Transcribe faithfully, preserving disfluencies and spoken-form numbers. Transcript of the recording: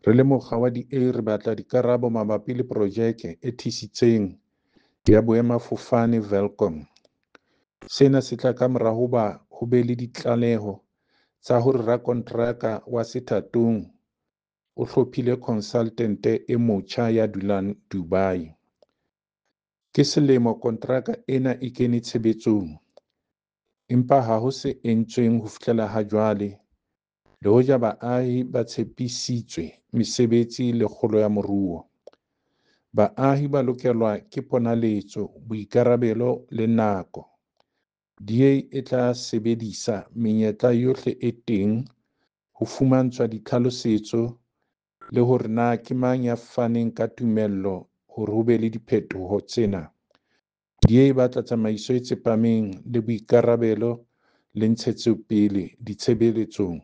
Re le mokga wa D A re batla dikarabo mabapi le projeke e thisitseng ya boemafofane Welkom. Sena se tla kamora hoba ho be le ditlaleho tsa hore rakonteraka wa sethathong o hlophile khonsaltente e motjha ya dulang Dubai. Ke selemo konteraka ena e kene tshebetsong, empa ha ho se entsweng ho fihlela hajwale le hoja baahi ba tshepisitswe mesebetsi le kgolo ya moruo. Baahi ba lokelwa ke ponaletso, boikarabelo le nako. D A e tla sebedisa menyetla yohle e teng ho fumantshwa ditlhalosetso le hore na ke mang ya faneng ka tumello hore ho be le diphetoho tsena. D A e batla tsamaiso e tsepameng le boikarabelo le ntshetsopele ditshebeletsong.